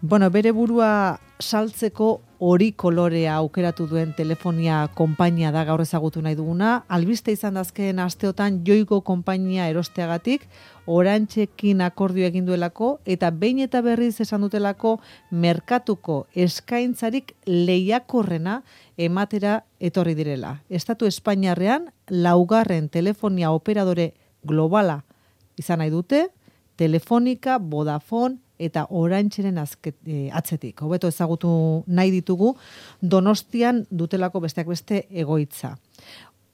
Bueno, bere burua saltzeko hori kolorea aukeratu duen telefonia konpainia da gaur ezagutu nahi duguna. Albiste izan dazkeen asteotan Yoigo konpainia erosteagatik, Orantzekin akordio egin duelako eta behin eta berriz esan dutelako merkatuko eskaintzarik lehiakorrena ematera etorri direla. Estatu Espainiarrean 4. telefonia operadore globala izan nahi dute, Telefonica, Vodafone eta Orantzeren atzetik. Hobeto ezagutu nahi ditugu Donostian dutelako besteak beste egoitza.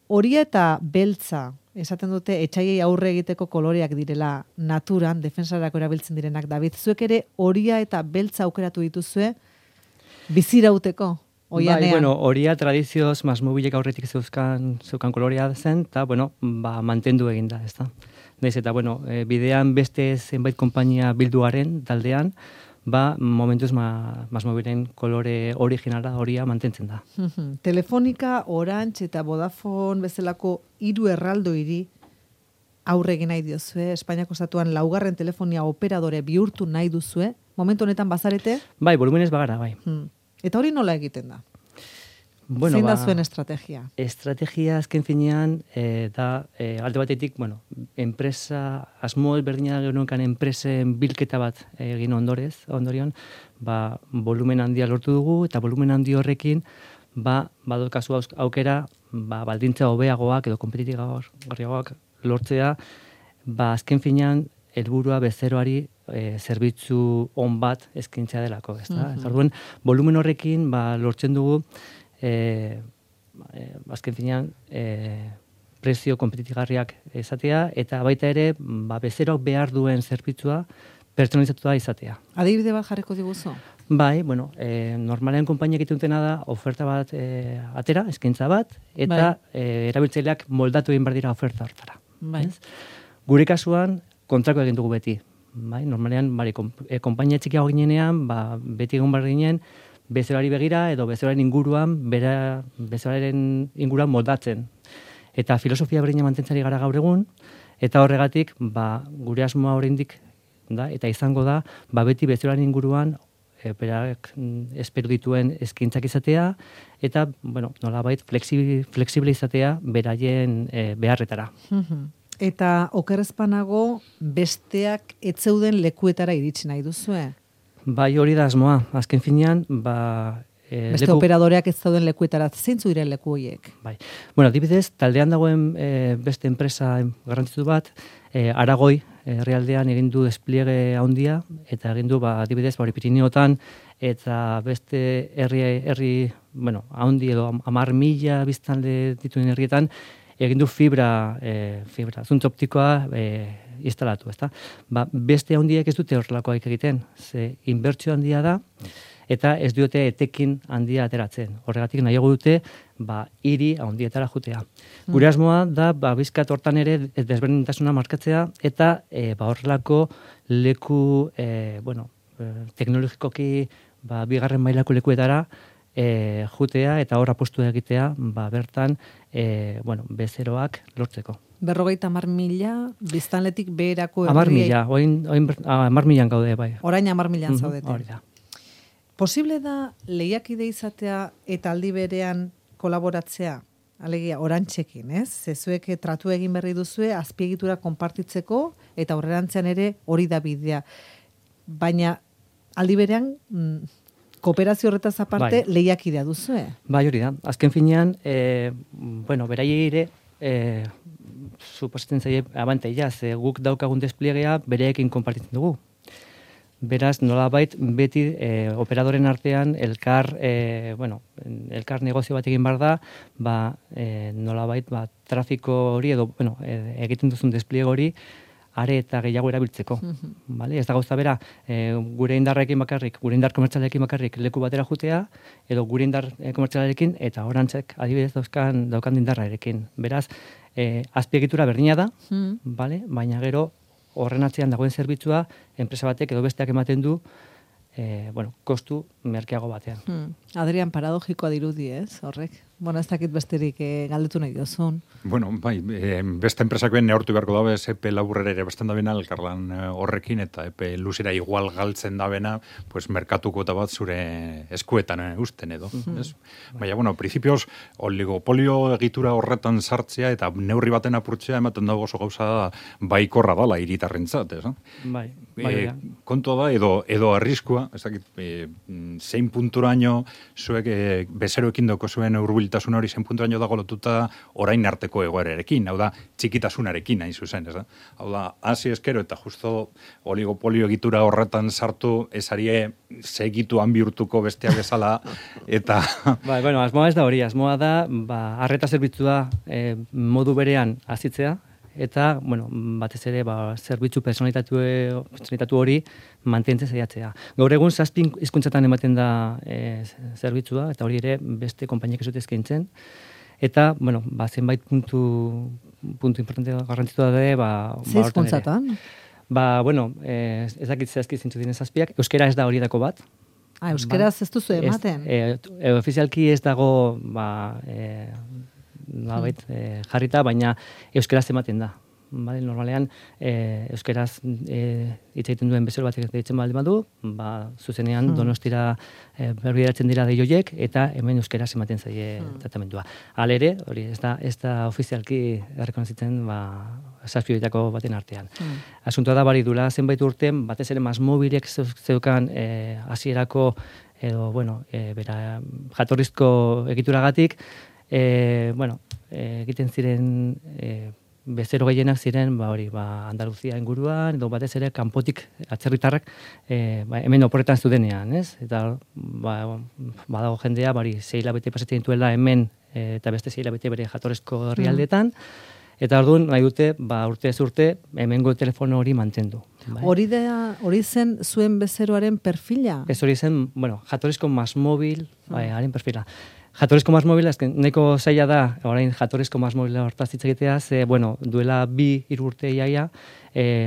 Horia eta beltza, esaten dute etxaiei aurre egiteko koloreak direla naturan, defensarako erabiltzen direnak. David, zuek ere horia eta beltza aukeratu dituzue bizirauteko? Bai, bueno, horia tradizioz masmobilek aurretik zeukan kolorea zen, eta, bueno, mantendu egin da, ez da. Naiz eta, bueno, bidean beste zenbait konpainia bilduaren taldean, momentuz masmobilen kolore originala horia mantentzen da. Telefonica, Orange eta Vodafone bezalako 3 erraldoiri aurre egin nahi diozue, Espainiako estatuan 4. telefonia operadore bihurtu nahi duzue, momentu honetan bazarete? Bai, volumenez bagara, bai. Eta hori nola egiten da? Bueno, zein da zuen estrategia? Estrategia azken finean da alde batetik, bueno, enpresa, asmo berdina genuen enpresen bilketa bat egin ondorion, volumen handia lortu dugu, eta volumen handi horrekin, badaukazu aukera, baldintza hobeagoak edo kompetitiboagoak lortzea, azken finean, helburua bezeroari zerbitzu on bat eskaintzea delako, ezta? Orduan, volumen horrekin lortzen dugu azken finean prezio kompetitigarriak izatea eta baita ere bezeroak behar duen zerbitzua pertsonalizatua izatea. Adibide bat jarriko diguzu? Bai, bueno, normalean konpainia egiten dutena da oferta bat atera, eskaintza bat, eta erabiltzaileak moldatu egin behar dira oferta hortara. Gure kasuan, kontrako egin dugu beti. Normalean, konpainia txikiago ginenean, beti egon behar ginen, bezerari begira edo bezeraren inguruan, bezeraren inguruan moldatzen. Eta filosofia berdina mantentzari gara gaur egun, eta horregatik, gure asmoa oraindik da, eta izango da, beti bezeraren inguruan, berak espero dituen eskaintzak izatea, eta, bueno, nolabait, flexible izatea beraien beharretara. Eta okerrezpanago besteak etzeuden lekuetara iritsi nahi duzue? Bai, hori da asmoa. Azken finean, beste operadoreak ez dauden lekuetara, zeintzu diren leku horiek? Bai. Bueno, adibidez, taldean dagoen beste enpresa garrantzitu bat, Aragoi herrialdean egin du despliege handia, eta egin du, adibidez, Pirineotan, eta beste herri, bueno, handi edo 10.000 biztanle dituen herrietan, egin du fibra, zuntz optikoa instalatu, ezta? Beste handiek ez dute horrelakoak egiten, ze inbertsio handia da, eta ez dute etekin handia ateratzen. Horregatik nahiago dute, hiri handietara jutea. Gure asmoa da, bizkat hortan ere desberdintasuna markatzea, eta horrelako leku, bueno, teknologikoki, bigarren mailako lekuetara, jutea eta hor apostu egitea, bertan, bueno, bezeroak lortzeko. 50.000 biztanletik beherako 10.000, oin 10.000 gaude, bai. Orain 10.000 zaudete. Hori da. Posible da lehiakide izatea eta aldi berean kolaboratzea? Alegia, Orantzekin, ez? Zezuek tratu egin berri duzue, azpiegitura konpartitzeko, eta aurrerantzean ere hori da bidea. Baina, aldi berean, kooperazio horretaz aparte, lehiakidea duzue? Bai, hori da. Azken finean, bueno, beraiei ere, suposatzen zaie abantaila, ze guk daukagun despliegea bereekin konpartitzen dugu. Beraz, nolabait, beti operadoren artean elkar negozio bat egin behar da, nolabait, trafiko hori edo, bueno, egiten duzun despliego hori, are eta gehiago erabiltzeko. Ez da gauza bera, gure indarrekin bakarrik, gure indar komertzialekin bakarrik leku batera jutea, edo gure indar komertzialekin eta Orantzek adibidez daukan indarrarekin. Beraz, azpiegitura berdina da, baina gero horren atzean dagoen zerbitzua, enpresa batek edo besteak ematen du, kostu merkeago batean. Adrian, paradogikoa dirudi, ez, horrek? Bueno, ez dakit besterik galdetu nahi dozun. Bueno, bai, beste enpresakoen neortu beharko dabe, epe laburrera ere bestan dabena, elkarlan horrekin, eta epe luzera igual galtzen dabena, pues, merkatuko eta bat zure eskuetan usten edo. Baina, bueno, principios, oligopolio egitura horretan sartzea, eta neurri baten apurtzea, ematen dago oso gauza baikorra dala hiritarrentzat, ez? Bai, kontua da, edo arriskua, ez dakit, zein punturaino zuek bezeroekin doko zuen hurbiltasun hori zein punturaino dago lotuta orain arteko egoerarekin, hau da, txikitasunarekin hain zuzen, ez da? Hau da, hasi eskero eta justo oligopolio egitura horretan sartu, esarie segituan bihurtuko besteak bezala, eta... Bai, bueno, asmoa ez da hori, asmoa da, arreta zerbitzua modu berean azitzea, eta, bueno, batez ere, zerbitzu personalitatu hori mantentzen saiatzea. Gaur egun 7 hizkuntzatan ematen da zerbitzua, eta hori ere beste konpainiak ez dute eskaintzen. Eta, bueno, zenbait puntu importante garrantzitu da, Ze hizkuntzatan? Bueno, ez dakit zehazki zintzu diren 7, euskera ez da horietako bat. Euskeraz ez duzu ematen? Ofizialki ez dago, jarrita, baina euskeraz ematen da. Normalean, euskeraz hitz egiten duen bezero batek deitzen baldin badu, zuzenean Donostira berbideratzen dira deioiek, eta hemen euskeraz ematen zaie tratamendua. Halere, hori ez da ofizialki errekonozitzen 7 horietako baten artean. Asuntoa da bari dula zenbait urten, batez ere MásMóvilek zeukan hasierako edo, bera jatorrizko egituragatik, egiten ziren bezero gehienak ziren, Andaluzia inguruan, edo batez ere kanpotik atzerritarrak hemen oporretan zudenean, ez? Eta badago jendea, 6 hilabete pasatzen dituela hemen, eta beste 6 hilabete bere jatorrezko herrialdetan, eta orduan nahi dute, urte ez urte, hemengo telefono hori mantendu. Hori zen zuen bezeroaren perfila? Ez hori zen, jatorrezko MásMóvil, haren perfila. Jatorrizko MásMóvil, nahiko zaila da, orain jatorrizko MásMóvil hortaz hitz egitea, duela 2-3 urte iaia,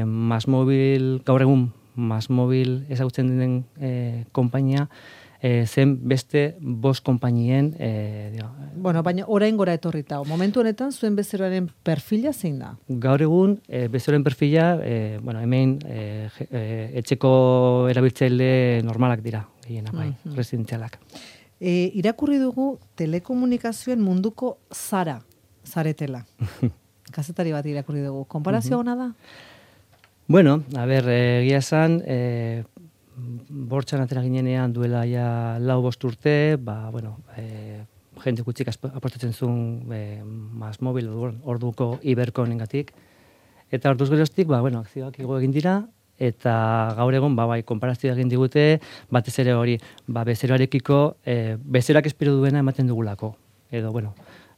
MásMóvil, gaur egun MásMóvil ezagutzen den konpainia, zen beste 5 konpainien... baina orain gora etorrita, momentu honetan zuen bezeroaren perfila zein da? Gaur egun, bezeroaren perfila, hemen etxeko erabiltzaile normalak dira, gehienak, residentzialak. Irakurri dugu telekomunikazioen munduko zaretela. Kazetari bat irakurri dugu. Konparazio ona da? Bueno, egia esan, bortxan atera ginenean duela ja 4-5 urte, jende gutxik apostatzen zuen MásMóvil orduko Iberconengatik. Eta orduz geroztik, akzioak igo egin dira, eta gaur egon, konparazioa egin digute, batez ere hori, bezeroarekiko, bezeroak espero duena ematen dugulako. Edo,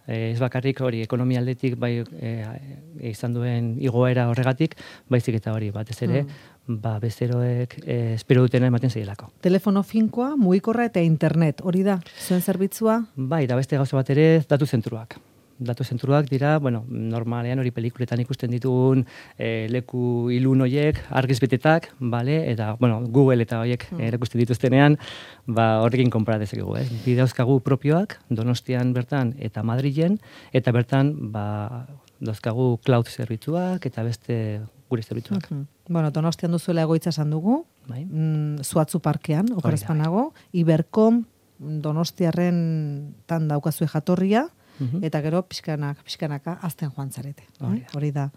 ez bakarrik hori, ekonomia aldetik, izan duen igoera horregatik, baizik eta hori, batez ere, bezeroek espero dutena ematen zaielako. Telefono finkoa, mugikorra eta internet, hori da, zuen zerbitzua? Da beste gauza bat ere, datu zentruak. Datu zentruak dira, normalean hori pelikuletan ikusten ditugun leku ilun horiek, argiz betetak, eta, Google eta horiek erakusten dituztenean, horrekin konpara dezakegu, Bidauzkagu propioak, Donostian bertan eta Madrilen, eta bertan, dauzkagu cloud zerbitzuak eta beste gure zerbitzuak. Donostian duzuela egoitza esan dugu, Zuatzu parkean, okerazpanago, Ibercom, Donostiarren tan daukazue jatorria, eta gero pixkanaka azten joan zarete. Hori da.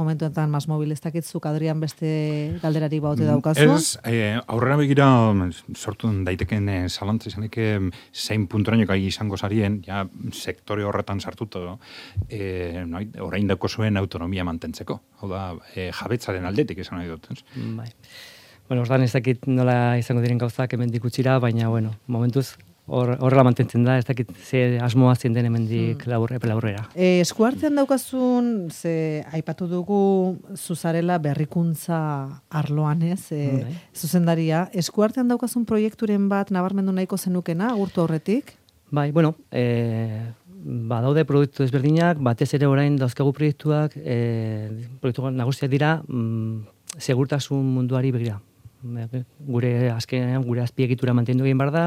Momentuetan MásMóvil ez dakitzuk Adrian beste galderari baute daukazu? Ez, aurrera begira sortu daiteken zalantza izaneke zein punturaino gai izango zarien, ja sektore horretan sartuta, orain dako zuen autonomia mantentzeko. Hau da, jabetzaren aldetik esan nahi dut. Ordan ez dakit nola izango diren gauzak hemendik utxira, baina, momentuz, horrela mantentzen da, ez dakit ze asmoa zien den hemendik laburrera. Eskuartean daukazun, aipatu dugu zuzarela berrikuntza arloan, zuzendaria. Eskuartean daukazun proiekturen bat nabarmendu nahiko zenukena, agurtu aurretik? Daude produktu ezberdinak, batez ere orain dauzkagu proiektuak nagusiak dira segurtasun munduari begira. gure azkenean gure azpiegitura mantendu egin behar da,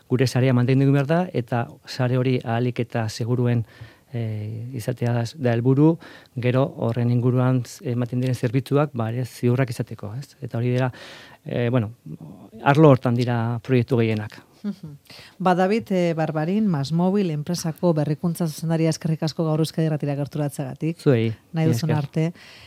gure sarea mantendu egin behar da, eta sare hori ahalik eta seguruen izatea da helburu, gero horren inguruan ematen diren zerbitzuak ere ziurrak izateko, ez? Eta hori dira, arlo hortan dira proiektu gehienak. David Barbarin, Masmobil enpresako berrikuntza zuzendaria eskerrik asko gaur Euskadi Irratira gerturatzagatik. Zuei. Nahi duzun arte.